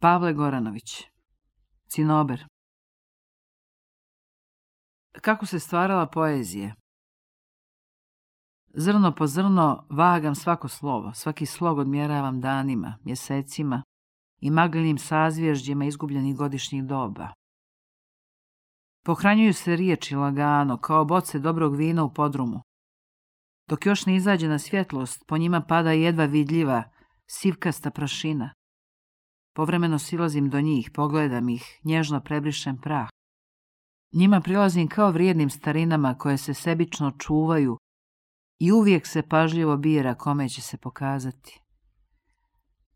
Pavle Goranović. Cinober. Kako se stvarala poezija? Zrno po zrno vagam svako slovo, svaki slog odmjeravam danima, mjesecima i maglenim sazvježđima izgubljenih godišnjih doba. Pohranjuju se riječi lagano, kao boce dobrog vina u podrumu. Dok još ne izađe na svjetlost, po njima pada jedva vidljiva, sivkasta prašina. Povremeno silazim do njih, pogledam ih, nježno prebrišem prah. Njima prilazim kao vrijednim starinama koje se sebično čuvaju i uvijek se pažljivo bira kome će se pokazati.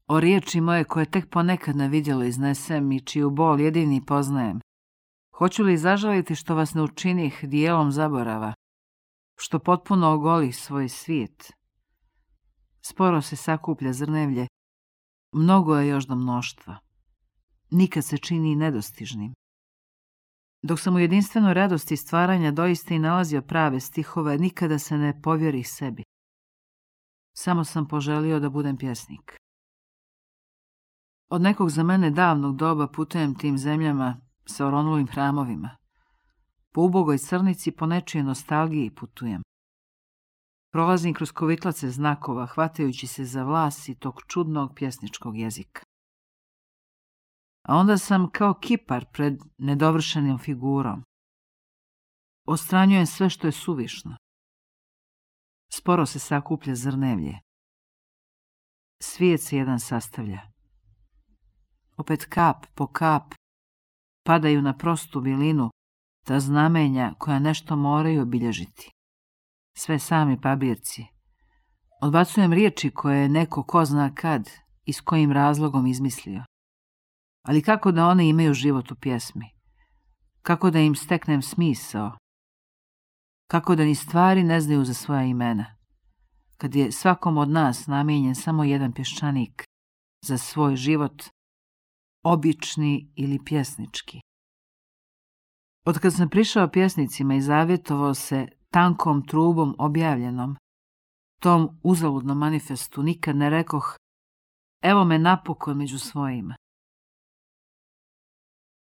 O riječi moje koje tek ponekad na vidjelo iznesem i čiju bol jedini poznajem. Hoću li zažaliti što vas ne učinih dijelom zaborava, što potpuno ogolih svoj svijet? Sporo se sakuplja zrnevlje, mnogo je još do mnoštva. Nikad se čini nedostižnim. Dok sam u jedinstvenoj radosti stvaranja doista i nalazio prave stihove, nikada se ne povjerih sebi. Samo sam poželio da budem pjesnik. Od nekog za mene davnog doba putujem tim zemljama sa oronulim hramovima. Po ubogoj crnici, po nečijoj nostalgiji putujem. Prolazim kroz kovitlace znakova, hvatajući se za vlas i tog čudnog pjesničkog jezika. A onda sam kao kipar pred nedovršenim figurom. Ostranjujem sve što je suvišno. Sporo se sakuplja zrnevlje. Svijet se jedan sastavlja. Opet kap po kap padaju na prostu bilinu ta znamenja koja nešto moraju obilježiti. Sve sami papirci. Odbacujem riječi koje je neko ko zna kad i s kojim razlogom izmislio. Ali kako da one imaju život u pjesmi? Kako da im steknem smisao? Kako da ni stvari ne znaju za svoja imena? Kad je svakom od nas namijenjen samo jedan pješčanik za svoj život, obični ili pjesnički. Otkad sam prišao pjesnicima i zavjetovao se tankom trubom objavljenom, tom uzaludnom manifestu, nikad ne rekoh, evo me napokon među svojima.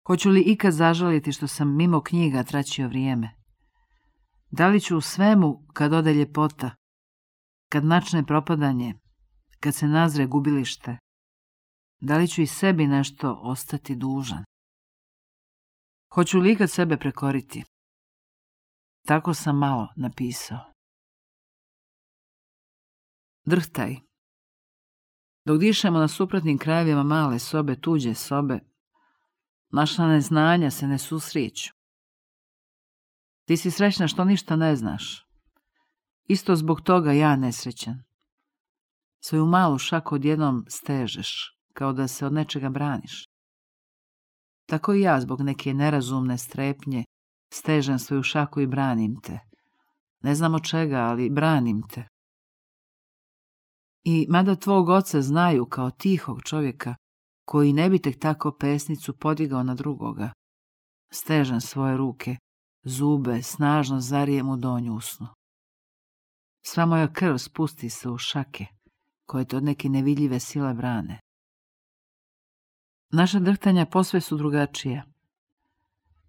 Hoću li ikad zažaliti što sam mimo knjiga traćio vrijeme? Da li ću u svemu, kad ode ljepota, kad načne propadanje, kad se nazre gubilište, da li ću i sebi nešto ostati dužan? Hoću li ikad sebe prekoriti? Tako sam malo napisao. Drhtaj. Dok dišemo na suprotnim krajevima male sobe, tuđe sobe, naša neznanja se ne susreću. Ti si srećna što ništa ne znaš. Isto zbog toga ja nesrećan. Svoju malu šaku odjednom stežeš, kao da se od nečega braniš. Tako i ja zbog neke nerazumne strepnje stežem svoju šaku i branim te. Ne znam od čega, ali branim te. I mada tvog oca znaju kao tihog čovjeka, koji ne bi tek tako pesnicu podigao na drugoga, stežem svoje ruke, zube snažno zarijem u donju usnu. Sva moja krv spusti se u šake, koje te od neke nevidljive sile brane. Naša drhtanja posve su drugačija.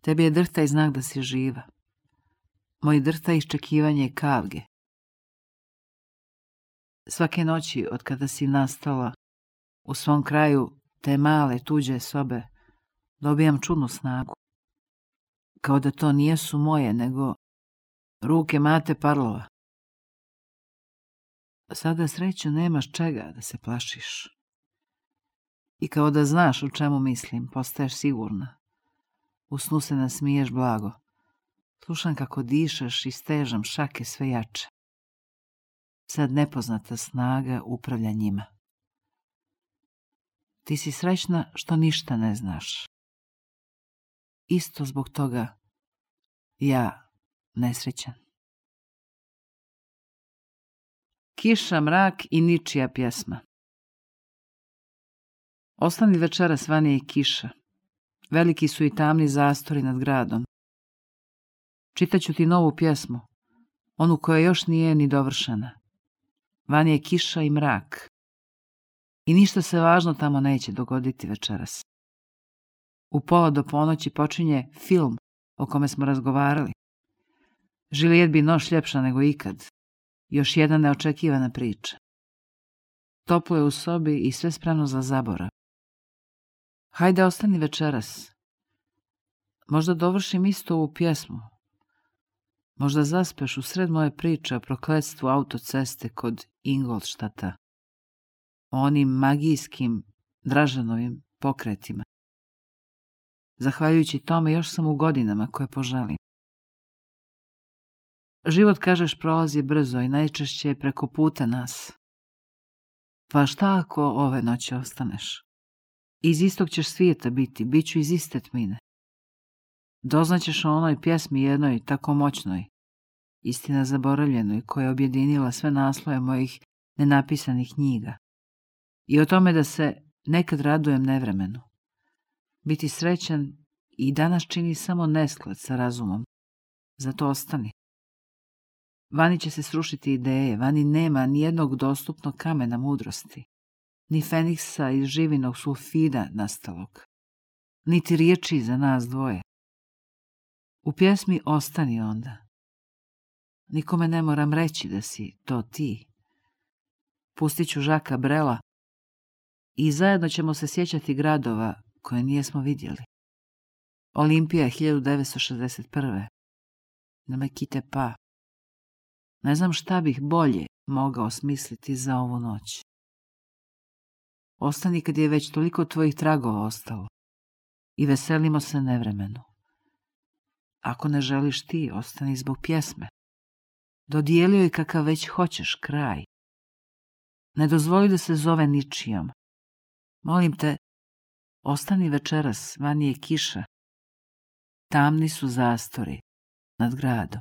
Tebi je drhtaj znak da si živa. Moj drhtaj iščekivanje je kavge. Svake noći, od kada si nastala, u svom kraju te male tuđe sobe, dobijam čudnu snagu. Kao da to nijesu moje, nego ruke Mate Parlova. Sada sreću nemaš čega da se plašiš. I kao da znaš o čemu mislim, postaješ sigurna. U snu se nasmiješ blago. Slušam kako dišeš i stežam šake sve jače. Sad nepoznata snaga upravlja njima. Ti si srećna što ništa ne znaš. Isto zbog toga ja nesrećan. Kiša, mrak i ničija pjesma. Ostani večeras vani je kiša. Veliki su i tamni zastori nad gradom. Čitaću ti novu pjesmu, onu koja još nije ni dovršena. Vani je kiša i mrak. I ništa se važno tamo neće dogoditi večeras. U 1:30 počinje film o kome smo razgovarali. Juliet bi noć ljepša nego ikad. Još jedna neočekivana priča. Toplo je u sobi i sve spremno za zaborav. Hajde, ostani večeras. Možda dovršim isto ovu pjesmu. Možda zaspeš u sred moje priče o prokletstvu autoceste kod Ingolštata. O onim magijskim Dražanovim pokretima. Zahvaljujući tome još sam u godinama koje poželim. Život, kažeš, prolazi brzo i najčešće je preko puta nas. Pa šta ako ove noći ostaneš? Iz istog ćeš svijeta biti, bit ću iz iste tmine. Doznaćeš o onoj pjesmi jednoj tako moćnoj, istina zaboravljenoj, koja je objedinila sve naslove mojih nenapisanih knjiga. I o tome da se nekad radujem nevremenu. Biti srećan i danas čini samo nesklad sa razumom. Zato ostani. Vani će se srušiti ideje, vani nema ni jednog dostupnog kamena mudrosti, ni feniksa iz živinog sulfida nastalog, niti riječi za nas dvoje. U pjesmi ostani onda. Nikome ne moram reći da si to ti. Pustit ću Žaka Brela i zajedno ćemo se sjećati gradova koje nijesmo vidjeli. Olimpija 1961. Ne me kite pa. Ne znam šta bih bolje mogao smisliti za ovu noć. Ostani kad je već toliko tvojih tragova ostalo i veselimo se nevremenu. Ako ne želiš ti, ostani zbog pjesme. Dodijelio je kakav već hoćeš kraj. Ne dozvoli da se zove ničijom. Molim te, ostani večeras, vani je kiša. Tamni su zastori nad gradom.